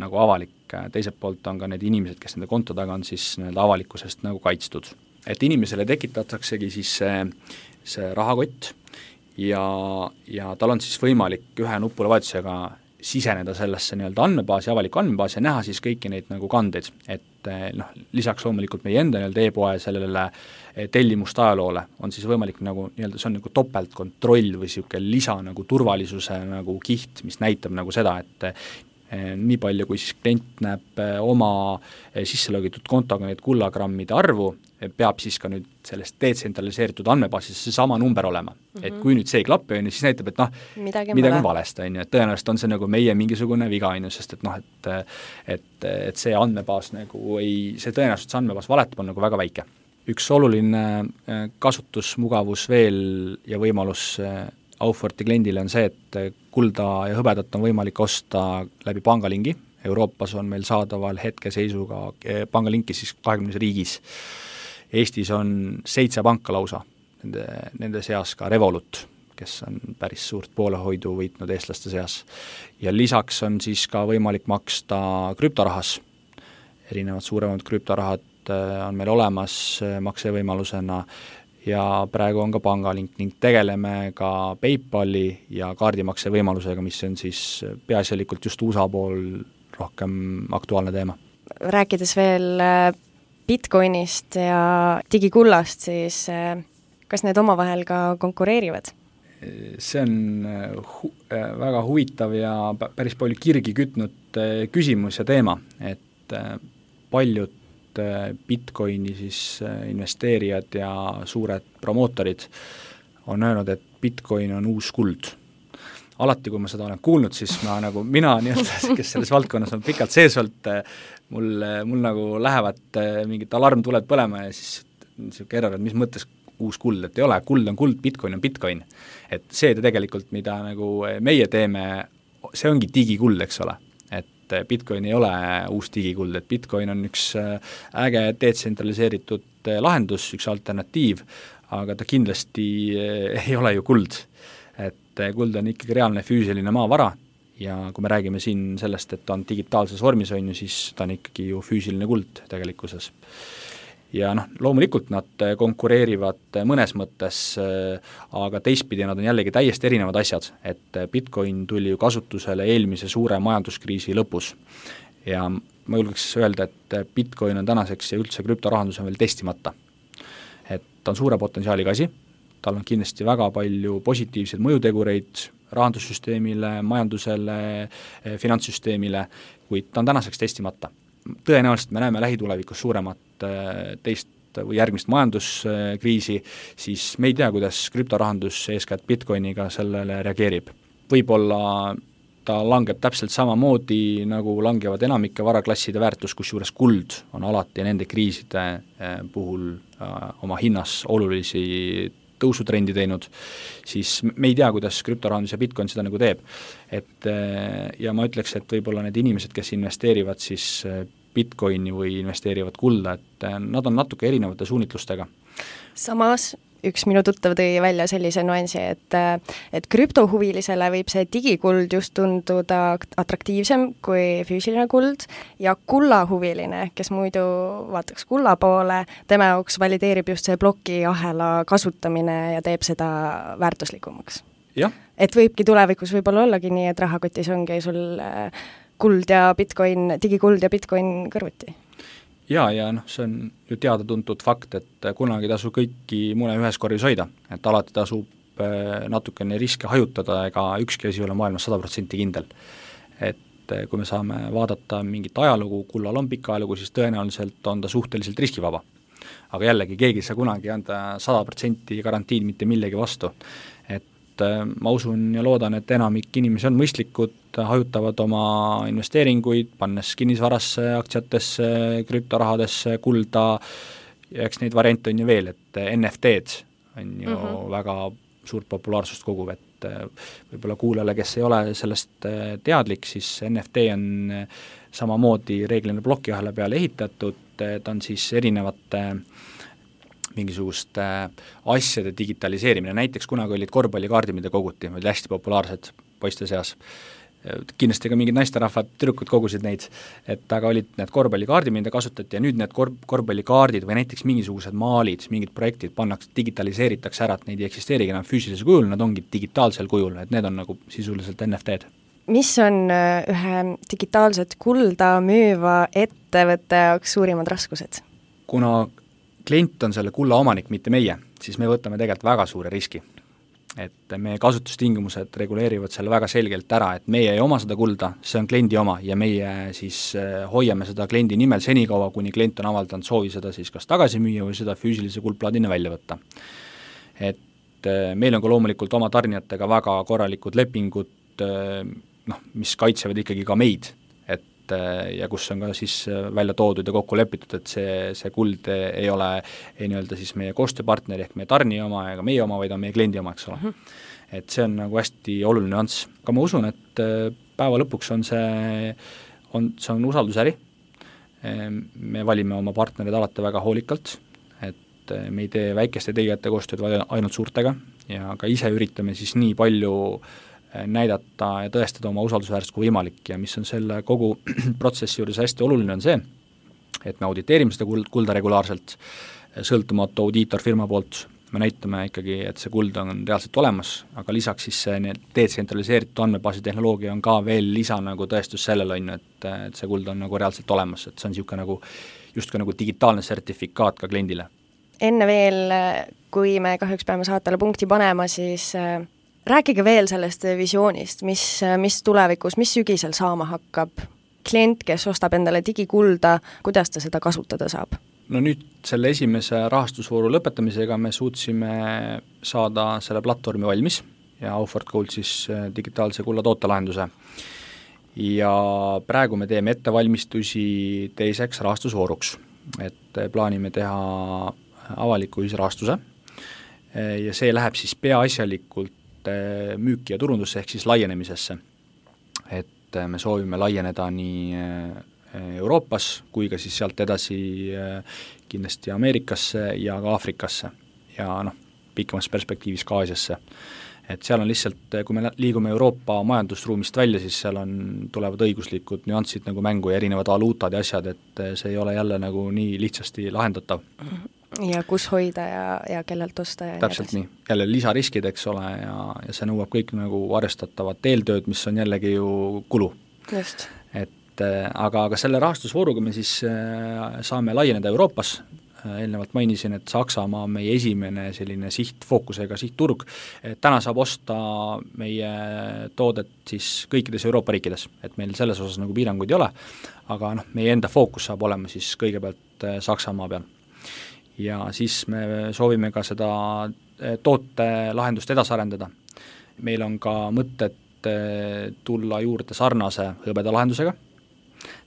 nagu avalik. Teiselt poolt on ka need inimesed, kes nende konto taga on, siis nende avalikkusest nagu kaitstud. Et inimesele tekitataksegi siis see, see rahakott, ja, ja tal on siis võimalik ühe nupule vajutusega siseneda sellesse nii-öelda andmebaasi, avaliku andmebaasi ja näha siis kõiki neid nagu kandeid, et noh, lisaks loomulikult meie enda nii-öelda e-poe sellele tellimust ajaloole on siis võimalik nagu nii-öelda, see on nagu topeltkontroll või siuke lisa nagu turvalisuse nagu kiht, mis näitab nagu seda, et nii palju, kui siis klient näeb oma sisselogitud kontoga need kullagrammide arvu, peab siis ka nüüd sellest detsentraliseeritud andmebaasis see sama number olema. Mm-hmm. Et kui nüüd see ei klapi, siis näitab, et noh, midagi, midagi on valest, on ju, et tõenäoliselt on see nagu meie mingisugune viga, on ju, sest et noh, et, et, et see andmebaas nagu ei, see tõenäoliselt see andmebaas valetab on nagu väga väike. Üks oluline kasutusmugavus veel ja võimalus Auforti kliendile on see, et kulda ja hõbedat on võimalik osta läbi pangalingi, Euroopas on meil saadaval hetkeseisuga pangalinkis siis kahekümnes riigis. Eestis on seitse panka lausa, nende, nende seas ka Revolut, kes on päris suurt poolehoidu võitnud eestlaste seas. Ja lisaks on siis ka võimalik maksta krüptorahas. Erinevad suuremad krüptorahad on meil olemas maksevõimalusena ja praegu on ka pangalink ning tegeleme ka PayPali ja kaardimakse võimalusega, mis on siis peaasjalikult just U S A pool rohkem aktuaalne teema. Rääkides veel Bitcoinist ja digikullast, siis kas need omavahel ka konkureerivad? See on hu- väga huvitav ja päris palju kirgi kütnud küsimus ja teema, et paljud Bitcoini siis investeerijad ja suured promootorid on öelnud, et Bitcoin on uus kuld. Alati, kui ma seda olen kuulnud, siis ma nagu, mina nii-öelda, kes selles valdkonnas on pikalt sees olnud, mul, mul nagu lähevad mingid alarmtuled põlema ja siis niisugune error, et mis mõttes uus kuld, et ei ole, kuld on kuld, Bitcoin on Bitcoin. Et see tegelikult, mida nagu meie teeme, see ongi digikuld, eks ole. Et Bitcoin ei ole uus digikuld, et Bitcoin on üks äge detsentraliseeritud lahendus, üks alternatiiv, aga ta kindlasti ei ole ju kuld. Et kuld on ikkagi reaalne füüsiline maavara ja kui me räägime siin sellest, et ta on digitaalses vormis on ju, siis ta on ikkagi ju füüsiline kuld tegelikkuses. Ja noh, loomulikult nad konkureerivad mõnes mõttes, aga teistpidi nad on jällegi täiesti erinevad asjad, et Bitcoin tuli ju kasutusele eelmise suure majanduskriisi lõpus ja ma julgeks öelda, et Bitcoin on tänaseks ja üldse krüptorahandus on veel testimata. Et ta on suure potentsiaaliga asi, tal on kindlasti väga palju positiivseid mõjutegureid rahandussüsteemile, majandusele, finantssüsteemile, kuid ta on tänaseks testimata. Tõenäoliselt me näeme lähitulevikus suuremat teist või järgmist majanduskriisi, siis me ei tea, kuidas krüptorahandus eeskätt Bitcoiniga sellele reageerib. Võib-olla ta langeb täpselt samamoodi, nagu langevad enamike varaklasside väärtus, kusjuures kuld on alati nende kriiside puhul oma hinnas olulisi tõusutrendi teinud, siis me ei tea, kuidas krüptorahandus ja Bitcoin seda nagu teeb. Et, ja ma ütleks, et võib-olla need inimesed, kes investeerivad siis Bitcoini või investeerivad kulda, et nad on natuke erinevate suunitlustega. Samas üks minu tuttav tõi välja sellise nuansi, et, et krüptohuvilisele võib see digikuld just tunduda atraktiivsem kui füüsiline kuld ja kullahuviline, kes muidu vaataks kulla poole, tema jaoks valideerib just see plokiahela kasutamine ja teeb seda väärtuslikumaks. Ja. Et võibki tulevikus võib-olla ollagi nii, et rahakotis ongi sul kuld ja Bitcoin, digikuld ja Bitcoin kõrvuti. Ja, ja noh, see on ju teada-tuntud fakt, et kunagi tasu kõiki mune ühes korvis hoida, et alati tasub natukene riske hajutada, ega ükski asi ei ole maailmas sada protsenti kindel. Et kui me saame vaadata mingit ajalugu, kullal on pikka ajalugu, siis tõenäoliselt on ta suhteliselt riskivaba. Aga jällegi, keegi ei saa kunagi anda sada protsenti garantiid mitte millegi vastu. Et ma usun ja loodan, et enamik inimesi on mõistlikud, hajutavad oma investeeringuid, pannes kinnisvarasse, aktsiatesse, krüptorahadesse, kulda, ja eks neid variante on ju veel, et N F T-d on ju mm-hmm. väga suurt populaarsust koguv, et võib-olla kuulajale, kes ei ole sellest teadlik, siis N F T on samamoodi reeglina plokiahela peale ehitatud, ta on siis erinevate mingisuguste asjade digitaliseerimine, näiteks kunagi olid korvpallikaardid, mida koguti, olid hästi populaarsed poiste seas. Kindlasti ka mingid naisterahvad, tüdrukud kogusid neid, et aga olid need korvpallikaardid, mida kasutati ja nüüd need kor- korvpallikaardid või näiteks mingisugused maalid, mingid projektid pannakse, digitaliseeritakse ära, et neid ei eksisteerigi enam füüsilisel kujul, nad ongi digitaalsel kujul, et need on nagu sisuliselt N F T-d. Mis on ühe digitaalset kulda müüva ettevõtte jaoks suurimad raskused? Kuna klient on selle kulla omanik, mitte meie, siis me võtame tegelikult väga suure riski. Et meie kasutustingimused reguleerivad selle väga selgelt ära, et meie ei oma seda kulda, see on kliendi oma ja meie siis hoiame seda kliendi nimel senikaua, kuni klient on avaldanud soovi seda siis kas tagasi müüa või seda füüsilise kuldplaadina välja võtta. Et meil on ka loomulikult oma tarnijatega väga korralikud lepingud, noh, mis kaitsevad ikkagi ka meid, ja kus on ka siis välja toodud ja kokku lepitud, et see, see kuld ei ole ei nii-öelda siis meie koostööpartneri ehk meie tarnija oma ega meie oma, vaid on meie kliendi oma, eks ole. Mm-hmm. Et see on nagu hästi oluline nüanss. Aga ma usun, et päeva lõpuks on see on, see on usaldusäri, me valime oma partnerid alati väga hoolikalt, et me ei tee väikeste tegijate koostööd, vaid ainult suurtega ja ka ise üritame siis nii palju näidata ja tõestada oma usaldusväärselt kui võimalik ja mis on selle kogu protsessi juures hästi oluline on see, et me auditeerime seda kulda regulaarselt, sõltumatu audiitorfirma poolt, me näitame ikkagi, et see kuld on reaalselt olemas, aga lisaks siis see detsentraliseeritud andmebaasi tehnoloogia on ka veel lisa nagu tõestus sellele, on, et, et see kuld on nagu reaalselt olemas, et see on niisugune nagu, justkui nagu digitaalne sertifikaat ka kliendile. Enne veel, kui me kahjuks peame saatele punkti panema, siis äh, rääkige veel sellest visioonist, mis, mis tulevikus, mis sügisel saama hakkab. Klient, kes ostab endale digikulda, kuidas ta seda kasutada saab? No nüüd selle esimese rahastusvooru lõpetamisega me suutsime saada selle platvormi valmis ja Aufort Gold siis digitaalse kulla tootelahenduse. Ja praegu me teeme ettevalmistusi teiseks rahastusvooruks, et plaanime teha avaliku ühisrahastuse ja see läheb siis peaasjalikult müüki ja turundusse ehk siis laienemisesse. Et me soovime laieneda nii Euroopas kui ka siis sealt edasi kindlasti Ameerikasse ja ka Aafrikasse ja noh, pikemas perspektiivis ka Aasiasse. Et seal on lihtsalt, kui me liigume Euroopa majandusruumist välja, siis seal on, tulevad õiguslikud nüansid nagu mängu ja erinevad valuutad ja asjad, et see ei ole jälle nagu nii lihtsasti lahendatav. Ja kus hoida ja, ja kellelt osta ja täpselt nii, jälle lisariskid, eks ole, ja, ja see nõuab kõik nagu arvestatavat eeltööd, mis on jällegi ju kulu. Just. Et aga, aga selle rahastusvooruga me siis saame laieneda Euroopas, eelnevalt mainisin, et Saksamaa on meie esimene selline sihtfookusega sihtturg, täna saab osta meie toodet siis kõikides Euroopa riikides, et meil selles osas nagu piiranguid ei ole, aga noh, meie enda fookus saab olema siis kõigepealt Saksamaa peal. Ja siis me soovime ka seda tootelahendust edasi arendada. Meil on ka mõtted tulla juurde sarnase hõbedalahendusega,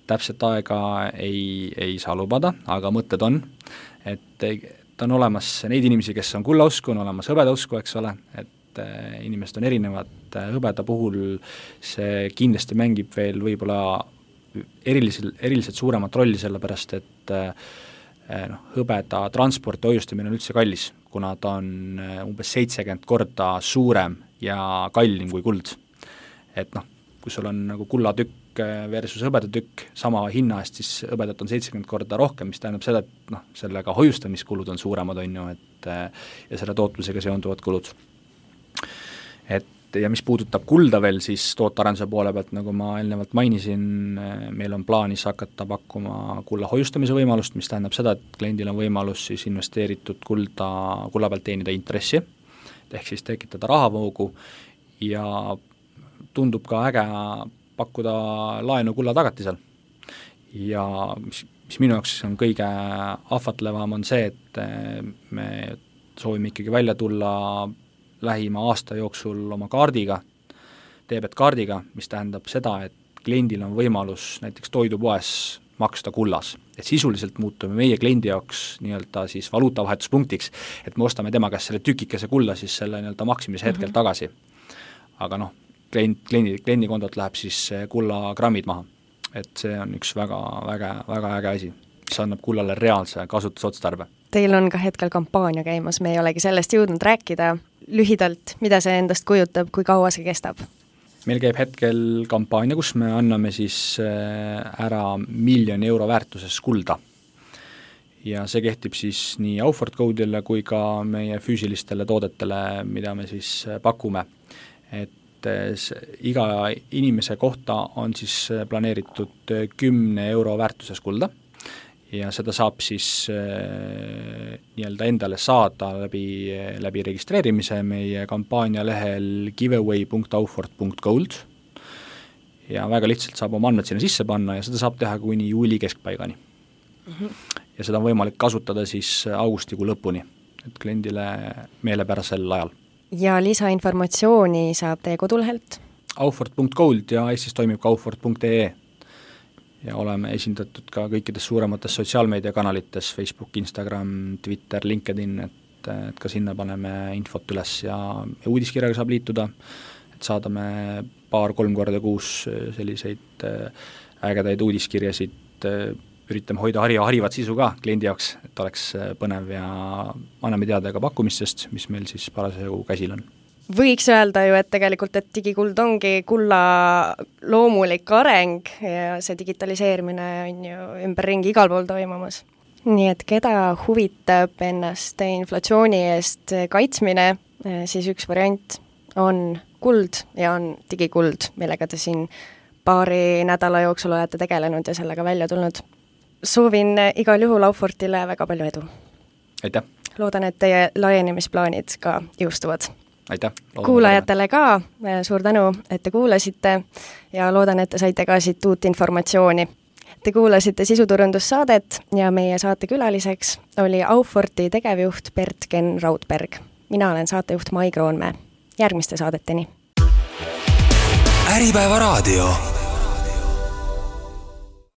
täpselt aega ei, ei saa lubada, aga mõtted on, et ta on olemas neid inimesi, kes on kullausku, on olemas hõbedausku, eks ole, et inimesed on erinevad, hõbeda puhul see kindlasti mängib veel võib-olla eriliselt, eriliselt suuremat rolli, sellepärast et noh, hõbeda transporti hoiustamine on üldse kallis, kuna ta on umbes seitsekümmend korda suurem ja kallim kui kuld. Et noh, kui sul on nagu kullatükk versus hõbedatükk sama hinna eest, siis hõbedat on seitsekümmend korda rohkem, mis tähendab seda, et noh, sellega hoiustamiskulud on suuremad, on ju, et ja selle tootlusega seonduvad kulud. Et ja mis puudutab kulda veel, siis tootearenduse poole pealt, nagu ma eelnevalt mainisin, meil on plaanis hakata pakkuma kulla hoiustamise võimalust, mis tähendab seda, et kliendil on võimalus siis investeeritud kulda, kulla pealt teenida intressi, ehk siis tekitada rahavoogu ja tundub ka äge pakkuda laenu kulla tagatisel. Ja mis, mis minu jaoks on kõige ahvatlevam on see, et me soovime ikkagi välja tulla lähima aasta jooksul oma kaardiga, debet kaardiga, mis tähendab seda, et kliendil on võimalus näiteks toidupoes maksta kullas. Et sisuliselt muutume meie kliendi jaoks nii-öelda siis valuutavahetuspunktiks, et me ostame tema käest selle tükikese kulla siis selle nii-öelda maksimise hetkel mm-hmm. tagasi. Aga noh, klient, kliendi, kliendi kondot läheb siis kulla grammid maha. Et see on üks väga, väga, väga äge asi, mis annab kullale reaalse kasutusotstarbe. Teil on ka hetkel kampaania käimas, me ei olegi sellest jõudnud rääkida. Lühidalt, mida see endast kujutab, kui kaua see kestab? Meil käib hetkel kampaania, kus me anname siis ära miljoni euro väärtuses kulda. Ja see kehtib siis nii Aufort Goldile kui ka meie füüsilistele toodetele, mida me siis pakume. Et iga inimese kohta on siis planeeritud kümne euro väärtuses kulda. Ja seda saab siis äh, nii-öelda endale saada läbi, läbi registreerimise meie kampaania lehel giveaway punkt aufort punkt gold ja väga lihtsalt saab oma andmed sinna sisse panna ja seda saab teha kuni juuli keskpaigani. Mm-hmm. Ja seda on võimalik kasutada siis augustikuu lõpuni, et kliendile meelepärasel ajal. Ja lisainformatsiooni saab teie kodulehelt? aufort punkt gold ja Eestis toimib ka aufort punkt ee ja oleme esindatud ka kõikides suuremates sotsiaalmeediakanalites, Facebook, Instagram, Twitter, LinkedIn, et, et ka sinna paneme infot üles ja, ja uudiskirjaga saab liituda, et saadame paar-kolm korda kuus selliseid ägedaid uudiskirjasid, üritame hoida hari- ja harivat sisu ka kliendi jaoks, et oleks põnev ja anname teada ka pakkumistest, mis meil siis parasjagu käsil on. Võiks öelda ju, et tegelikult, et digikuld ongi kulla loomulik areng ja see digitaliseerimine on ju ümberringi igal pool toimumas. Nii et keda huvitab ennast inflatsiooni eest kaitsmine, siis üks variant on kuld ja on digikuld, millega te siin paari nädala jooksul olete tegelenud ja sellega välja tulnud. Soovin igal juhul Aufortile väga palju edu. Aitäh! Loodan, et teie laienemisplaanid ka jõustuvad. Aitäh! Kuulajatele ka suur tänu, et te kuulasite ja loodan, et te saite ka siit uut informatsiooni. Te kuulasite sisuturundussaadet ja meie saatekülaliseks oli Auforti tegevjuht Bert-Ken Raudberg. Mina olen saatejuht Mai Kroonmäe. Järgmiste saadeteni. Äripäeva raadio.